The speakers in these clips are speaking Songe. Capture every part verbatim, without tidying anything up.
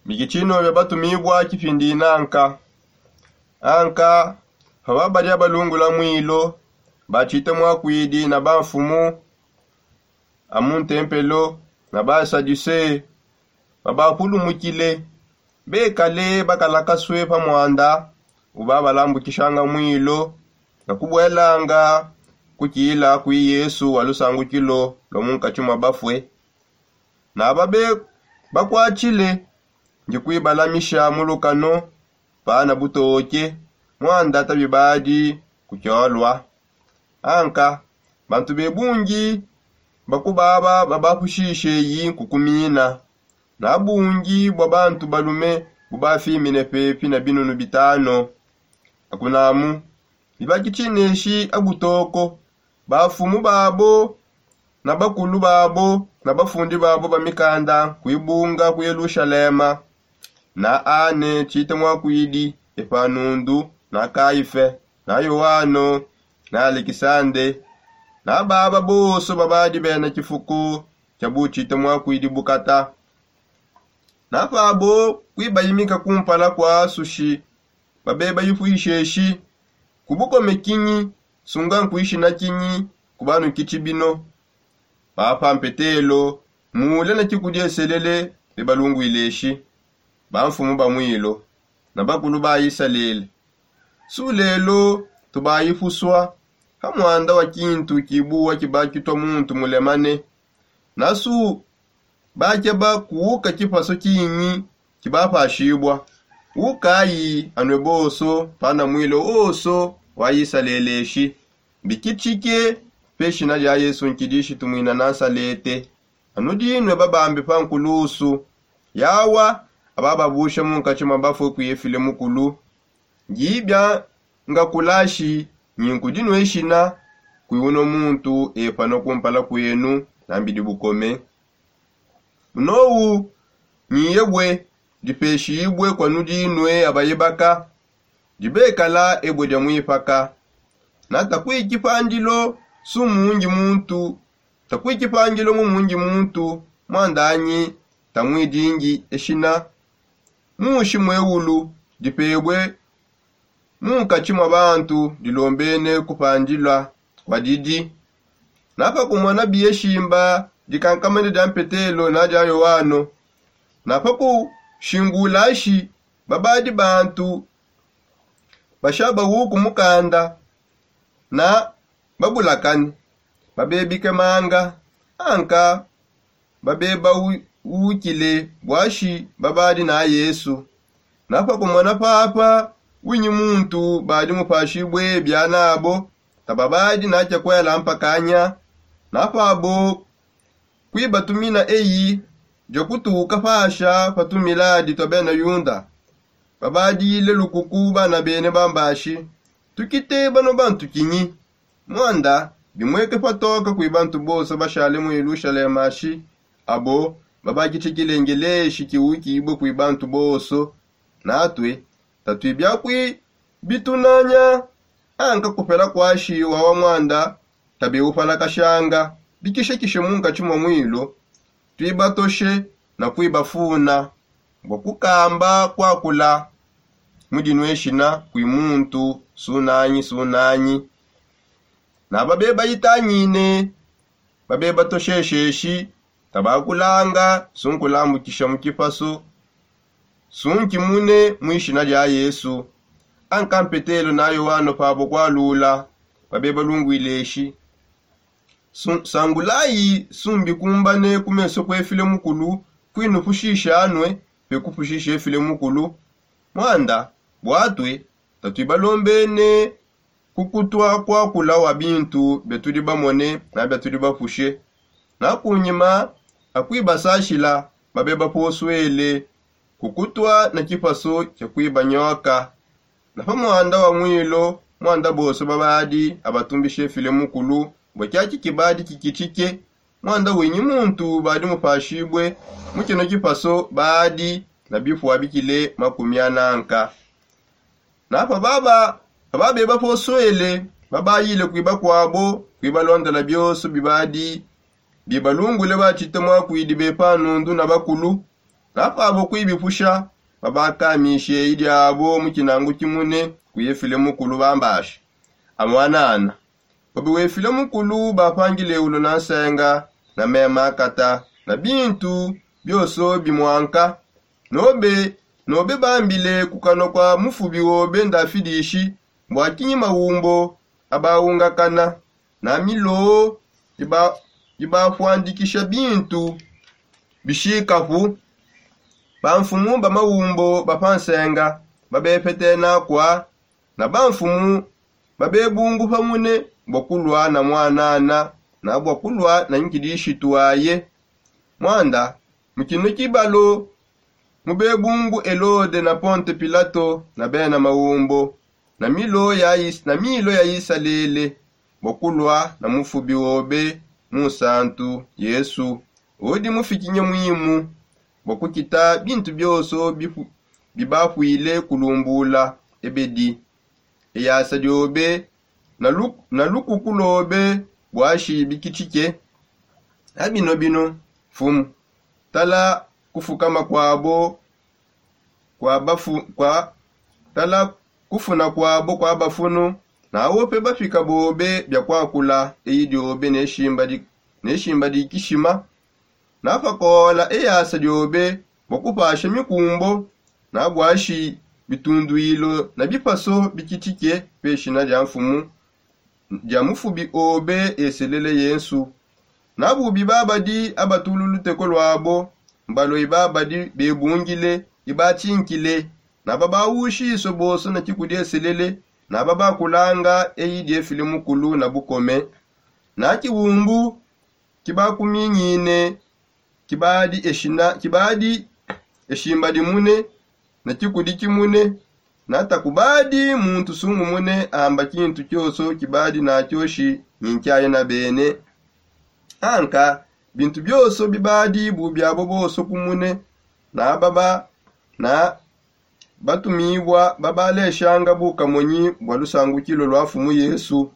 Bikitshino bia batumibua kipindi nanka. Anka pa babadi abalungula muilo, batshite muakuidi na bamfumu a mu ntempelo na basadusee babapulumukile, bekale bakalakasue pa muanda ubabalambukishanga muilo na kubuelanga kukila kui yesu wa lusangukilo lua munkatshi mua bafue. Na babe bakuatshile ndi kuibalamisha mu lukano pana butoke, muanda tabibadi kukiolua. Anka bantu be bungi bakubaba babapushishe yi nkukumina, na bungi bua bantu balume bubafimine pepi na binunu bitano. Akunamu bibakitshineshi abutoko, bafumu babo na bakulu babo na bafundi babo ba mikanda kuibunga ku yelushalema, na ane tshite muakuidi, epanundu na kaife na yoano na alekisande, na baba bonso babadi bena tshifuku tshia butshite muakuidi bukata. Na pabo kuibayimika kumpala kua sushi, babe bayipuisheshi ku bukome kinyi, sunga nkuishina kinyi ku banukitshi bino. Papa mpetelo mule ne tshikudieselele bebalunguileshi, bamfumu ba muilo na bakulu ba isalele. Su lelo tubayipusua ha muanda wa kintu kibuwa kibakitua muntu mulemane. Na su bakeba kuuka kipaso kinyi kibapashibua. Ukayi anue bonso pana muilo wonso wa isaleleshi, bikitshike pe shina dia yesu nkidishi tumwina na nsalete. Anu dinue babambe pa nkulusu yawa abababusha munkatshi mua bafue kuye file mukulu. Ndi bia ngakulashi nyi nkudi nueshina kui unua muntu epana kumpala kuenu na mbidi bukome. Munowu nyi ebue dipeshibue kua nudi nue abayibaka, dibekala ebue dia muipaka. Na takuikipandilo su mundi muntu takuikipandilo mu mundi muntu, muandanyi tamuidingi eshina. Mushi muewulu dipebue munkatshi mua bantu dilombene kupandila kua didi. Na pakumona biye shimba dikankamane dia mpetelo na dia yoano, na pakushingulashi babadi bantu basha bawuku mukanda na babulakane, babebike manga anka babeba wukile buashi babadi na yesu. Na pakumona papa winyi muntu badi mupashibue bianabo, tababadi na tshia kuela mpakanya. Na pabo kuibatumina eyi dia kutuka pasha pa tumiladi tua bena yuda, babadile lukuku bana bene bambashi, tukite bano bantu kinyi? Muanda bimueke patoka kui bantu bonso bashale mu yelushalema shi abo babakitshikile ngeleshi kiukibue kui bantu bonso. Natue tatui biakuibitunanya anka kupela kuashi wawa muanda tabeupalakashanga bikishekishe munkatshi mua muilo, tuibatoshe na kuibafuna bua kukamba kuakula mu dinueshina kui muntu sunanyi sunanyi. Na babe bayitangine babe batoshesheshi tabakulanga sunkulambukisha mu kipasu sunkimune mu ishina dia yesu. Anka mpetelo na yoano pabo kualula babe balungwile eshi, sangulayi sumbikumbane ku meso kue file mukulu kuinupushisha anue pe kupushisha efile mukulu. Muanda buatue tatui balombene kukutua kuakula wa bintu biatudi bamone na biatudi bapushe. Na kunyima akuibasashila babe baposuele kukutua na kipaso kia kuibanyoka. Na pa muanda wa muilo muanda bonso babadi abatumbishe file mukulu bua kiaki kibadi kikitshike. Muanda winyi muntu badi mupashibue mu kino kipaso badi na bipua bikile makumi ananka. Na pa baba ababeba posuele babayile kui bakuabo kui balondela bionso bibadi bibalungule batshite muakuidi bepa nundu na bakulu. Napabo kuibipusha babakamishe idiabo mu kinangu kimune ku efile mukulu bambashe amwanana. Obi wefile mukulu bapangile ulo na nsenga na mema akata na bintu bioso bimwanka. Nobe nobe bambile ku kanwa kwa mufubi obe ndafidishi bwa kinyi maumbo abaungakana na miloo ibafwandikisha bintu bishikapu. Bamfumu ba maumbo ba pa nsenga babepetena kwa na bamfumu babebungupa mune bua kulua na mwanana na bua kulua na nkidishitu aye. Muanda mu kino kibalo mubebungu elode na ponte pilato na bena maumbo na milo ya isalele bua kulua na mufubi obe munsantu yesu udi mufikinye muimu bua kukita bintu bionso bibapuile kulumbula ebedi eyasa diobe na lukuku lobe buashi bikitshike. Abino bino mfumu tala kufukama kuabo kua bafu kua tala kufuna kuabo kua bafunu. Naope bapika bobe bia kuakula eyi diobe neshimba dikishima. Napakola eyasa diobe bua kupasha mikumbo na buashi bitunduilo na bipaso bikitike peshina dia mfumu dia mufubi obe eselele yensu. Na bubi babadi abatulu luteko luabo mbalue babadi bebungile ibatshinkile na babawushisue bonso na kikudi eselele na babakulanga eyi diefile mukulu na bukome. Na kibumbu kibakuminyine kibadi eshina kibadi eshimbadi mune na kikudi kimune. Natakubadi muntu sungumune amba kintu kioso kibadi nakioshi nyinkiaye na bene. Anka bintu bionso bibadi bubiabo bonso kumune na baba na batumibua babaleshanga bukamonyi bua lusangukilo lua mfumu yesu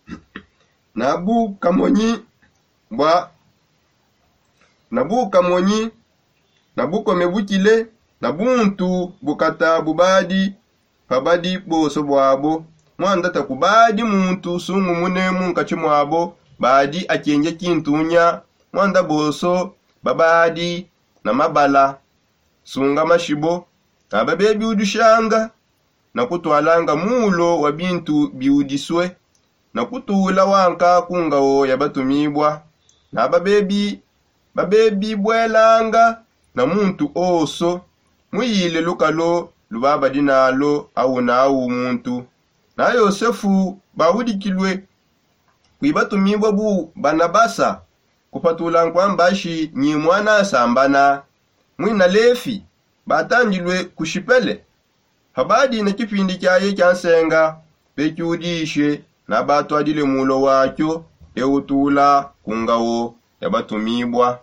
na bukamonyi bua na bukamonyi na bukome bukile na buntu bukata bubadi pabadi bonso buabo. Muanda takubadi muntu sungumune munkatshi muabo badi akenge kintunya. Muanda bonso babadi na mabala sunga mashibo na babebiudushanga na kutualanga mulo wa bintu biudisue na kutula wanka ku ngawo ya batumibua na babebi babebibuelanga na muntu onso muyile lukalo lubabadi nalo au na au muntu. Na yosefu baudikilue kui batumibua bu banabasa kupatula nkuambashi nyi muana nsambana muina lefi batandilue ku shipele. Pabadi ne kipindi kiaye kia nsenga pekiudishe nabatuadile mulo wakio eutula ku ngawo ya batumibua.